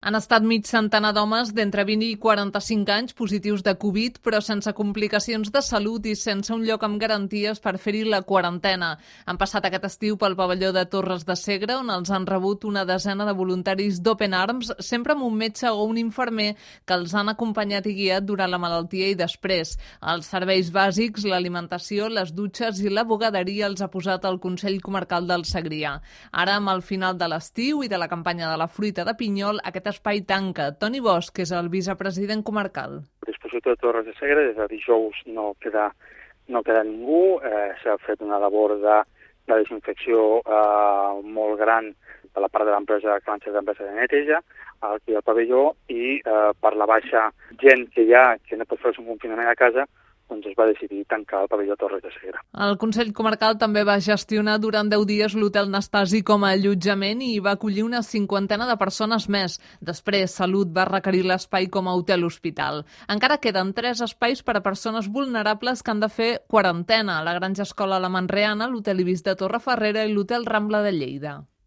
Han estat mig centenar d'homes d'entre 20 i 45 anys positius de Covid, però sense complicacions de salut i sense un lloc amb garanties per fer-hi la quarantena. Han passat aquest estiu pel pavelló de Torres de Segre, on els han rebut una desena de voluntaris d'Open Arms, sempre amb un metge o un infermer que els han acompanyat i guiat durant la malaltia i després. Els serveis bàsics, l'alimentació, les dutxes i la bugaderia els ha posat el Consell Comarcal del Segrià. Ara, amb el final de l'estiu i de la campanya de la fruita de pinyol, aquest espai tanca. Toni Bosch, que és el vicepresident comarcal. A disposició de Torres de Segre, des de dijous no queda ningú. S'ha fet una labor de desinfecció molt gran de la part de l'empresa, que van ser l'empresa de neteja, aquí al pavelló, i per la baixa gent que hi ha, que no pot fer un confinament a casa, doncs es va decidir tancar el pavelló Torres de Segre. El Consell Comarcal també va gestionar durant 10 dies l'hotel Nastasi com a allotjament i va acollir una 50 de persones més. Després, Salut va requerir l'espai com a hotel-hospital. Encara queden 3 espais per a persones vulnerables que han de fer quarantena: la Granja Escola La Manreana, l'Hotel Ibis de Torrefarrera i l'Hotel Rambla de Lleida.